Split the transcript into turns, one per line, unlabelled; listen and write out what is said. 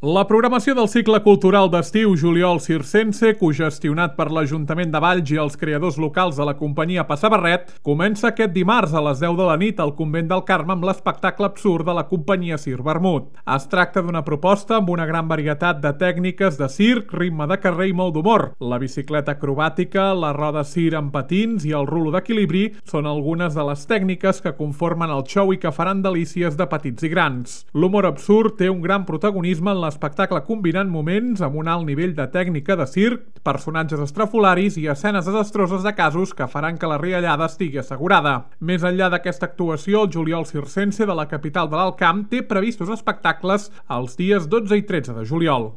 La programació del cicle cultural d'estiu Juliol Circense, cogestionat per l'Ajuntament de Valls i els creadors locals de la companyia Passabarret, comença aquest dimarts a les 10 de la nit al Convent del Carme amb l'espectacle absurd de la companyia Circ Vermut. Es tracta d'una proposta amb una gran varietat de tècniques de circ, ritme de carrer i molt d'humor. La bicicleta acrobàtica, la roda circ amb patins i el rulo d'equilibri són algunes de les tècniques que conformen el show i que faran delícies de petits i grans. L'humor absurd té un gran protagonisme en l'espectacle combinant moments amb un alt nivell de tècnica de circ, personatges estrafolaris i escenes desastroses de casos que faran que la riallada estigui assegurada. Més enllà d'aquesta actuació, el Juliol Circense de la capital de l'Alt Camp té previstos espectacles els dies 12 i 13 de juliol.